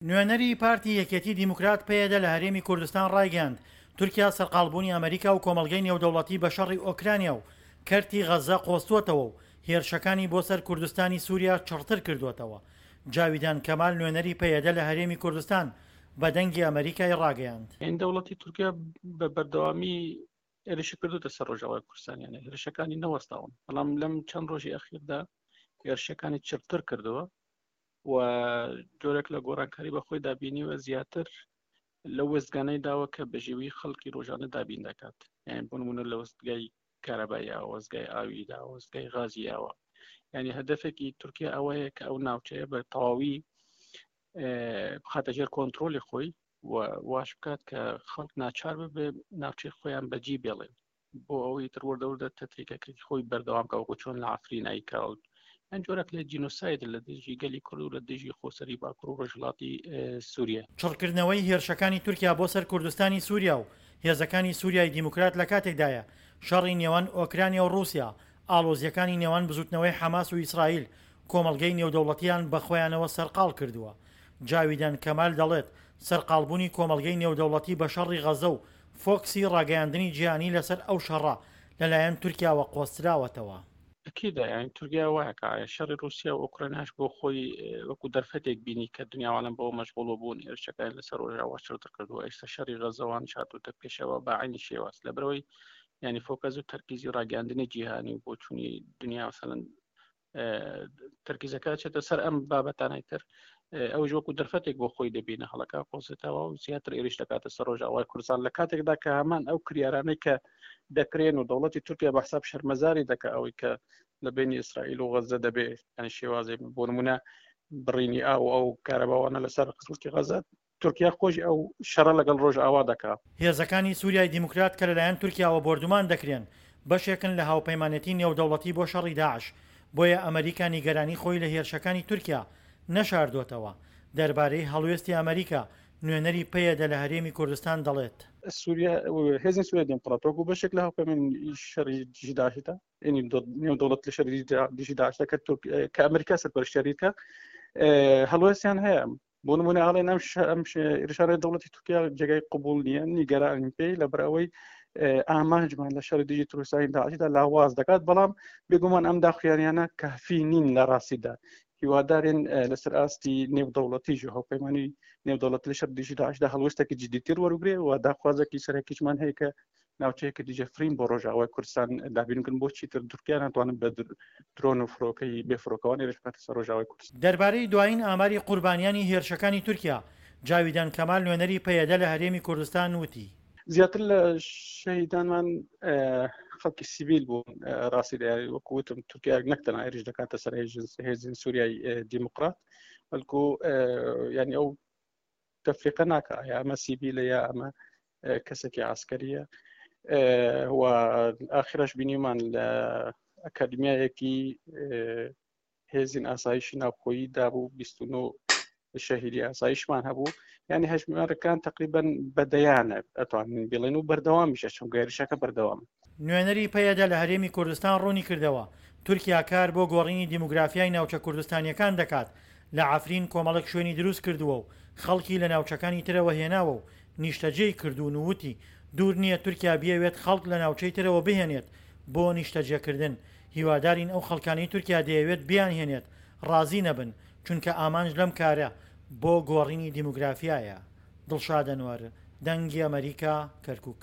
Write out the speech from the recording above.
نوێنەری پارتی یەکێتی دیموکرات پەیەدە لە هەرێمی کوردستان ڕایگەیاند، تورکیا سەرقاڵبوونی ئەمریکا و کۆمەڵگەی نێودەوڵەتی بە شەڕی ئۆکرانیا و کەرتی غەززە قۆستووەتەوە و هێرشەکانی بۆ سەر کوردستانی سووریا چڕتر کردووەتەوە. جاویدان کەمال نوێنەری پەیەدە لە هەرێمی کوردستان بە دەنگی ئەمریکای ڕاگەیاند. دەوڵەتی تورکیا بە بەردەوامی هێرشی کردوتە سەر ڕۆژاوای کوردستان یانە هێرشەکانی نەوەستاون بەڵام لەم چەند ڕۆژی ئەخیردا هێرشەکانی چڕتر کردەوە و جۆرێک لە گۆڕانکاری بە خۆی دابینیوە زیاتر لەو وێستگانەی داوە کە بەژێوی خەڵکی ڕۆژانە دابین دەکات یان بۆ نمونە لە وەستگای کارەبای ئاوە وەستگای ئاوی دا وەستگای غازی ئاوە یعنی هەدەفێکی تورکیا ئەوەیە کە ئەو ناوچەیە بە تەواوی بخاتە ژێر کۆنتترۆلی خۆی و واش بکات کە خەڵک ناچار ببێ ناوچەی خۆیان بەجی بێڵێن بۆ ئەوەی تر وردە وردە تەتریکەکەی خۆی بەردەوام کە وەکو چۆن لە عفرین ئایکاوت ئەن جۆرەك لە جینۆساید لە دژی گەلی کورد و لە دژی خۆسەری باکوور و ڕۆژهەڵاتی سووریە. چڕکردنەوەی هێرشەکانی تورکیا بۆ سەر کوردستانی سووریا و هێزەکانی سووریای دیموکرات لە کاتێکدایە شەڕی نێوان ئۆکرانیا و ڕووسیا، ئاڵۆزییەکانی نێوان بزووتنەوەی حەماس و ئیسرائیل کۆمەڵگەی نێودەوڵەتییان بە خۆیانەوە سەرقاڵ کردووە. جاویدان کەمال دەڵێت، سەرقاڵبوونی کۆمەڵگەی نێودەوڵەتی بە شەڕی غەزە و فۆکسی ڕاگەیاندنی جیهانی لەسەر ئەو شەڕە لەلایەن تورکیاوە قۆستراوەتەوە. ئەکیدە یانی تورکیا وایە کە شەڕی ڕووسیا و ئۆکرانیاش بۆ خۆی وەکو دەرفەتێک بینی کە دنیا عالەم بەوە مەشغوڵ بوون هێرشەکانی لەسەر ڕۆژاوا چڕتر کردووە ئێستا شەڕی غەزەوانیش هاتووتە پێشەوە بە عەینی شێواز لەبەرئەوەی یانی فۆکەس و تەرکیزی ڕاگەیاندنی جیهانی و بۆچوونی دنیا مەسەلەن تەرکیزەکە چێتە سەر ئەم بابەتانەی تر ئەوش وەکو دەرفەتێک بۆ خۆی دەبینە هەڵەکە قۆزێتەوە و زیاتر ئێریش دەکاتە سەر ڕۆژاوای کوردستان لە کاتێکدا کە هەمان ئەو کریارانەی کە دەکرێن و دەوڵەتی تورکیا بە حساب شەرمەزاری دەکە ئەوەی کە لە بینی ئیسرائیل و غەزە دەبێ یانی شێوازێک بۆ نمونە بڕینی ئاو ئەو کارەباوانە لەسەر خەڵکی غەزە تورکیا خۆشی ئەو شەڕە لەگەڵ ڕۆژئاوا دەکا. هێزەکانی سوریای دیموکرات کە لەلایەن تورکیاوە بۆردومان دەکرێن، بەشێکن لە هاوپەیمانێتی نێودەوڵەتی بۆ شەڕی داعش، بۆیە ئەمەریکا نیگەرانی خۆی لە هێرشەکانی تورکیا نەشاردۆتەوە. دەربارەی هەڵوێستی ئەمەریکا، نوێنەری پەیەدە لە هەرێمی کوردستان دەڵێت. سوریا هێزی سوریای دیموکرات وەکو بەشێک لە هاوپەیمانی شەڕی دژی داعشدا، یعنی نێودەوڵەت لە شەڕی دژی داعشدا کە ئەمریکا سەرپەرشتیاری دەکات، هەڵوێستیان هەیە. بۆ نمونە ئاڵێن ئەم ئەم ئێرشانە دەوڵەتی تورکیا جێگای قبول نییە نیگەرانین پێی لەبەر ئەوەی ئامانجمان لە شەڕی دژی ترۆریستانی داعشدا لاواز دەکات بەڵام بێگومان ئەم داخویانیانە کافی نین لە ڕاستیدا هیوادارین لەسەر ئاستی نێودەوڵەتیش و هاوپەیمانی نێودەوڵەت لە شەڕ دژی داعشدا هەڵوێستێکی جدیتر وەربگرێ و داخوازێکی سەرەکیشمان هەیە کە ناوچەیەکی دژە فرین بۆ ڕۆژاوای کوردستان دابین بکەن بۆ چیتر تورکیا ناتوانن بە درۆن و فڕۆکەی بێ فڕۆکەوان هێرش بکاتە سەر ڕۆژاوای کوردستان. دەربارەی دوایین ئاماری قوربانیانی هێرشەکانی تورکیا، جاویدان کەمال نوێنەری پەیەدە لە هەرێمی کوردستان وتی. زیاتر لە شەهیدانمان خەڵکی سیڤیل بوون ڕاستی دەیاری وەکو وتم تورکیا نەک تەنها هێرش دەکاتە سەر هێزین سووریای دیموکرات بەڵکو یعنی ئەو تەفریقە ناکا یا ئەمە سیڤیلە یا ئەمە کەسێکی عسکەریە و ئاخرەش بینیمان لە ئەکادمیایەکی هێزین ئاسایشی ناوخۆیی دابوو 29 شەهیدی ئاسایشمان هەبوو یعنی هەژمارەکان تقریبا بەدەیانە ئەتوانین بڵێن و بەردەوامیشە چونکە هێرشەکە بەردەوام نوێنەری پەیەدە لە هەرێمی کوردستان ڕوونیکردەوە، تورکیا کار بۆ گۆڕینی دیموگرافیای ناوچە کوردستانییەکان دەکات، لە عەفرین کۆمەڵێک شوێنی دروست کردووە و خەڵکی لە ناوچەکانی ترەوە هێناوە و نیشتەجێی کردوون و وتی، دوور نییە تورکیا بیەوێت خەڵک لە ناوچەی ترەوە بهێنێت بۆ نیشتەجێکردن، هیوادارین ئەو خەڵکانەی تورکیا دەیەوێت بیانهێنێت ڕازی نەبن، چونکە ئامانج لەم کارە بۆ گۆڕینی دیموگرافیایە. دڵشاد ئەنوەر، دەنگی ئەمەریکا، کەرکوک.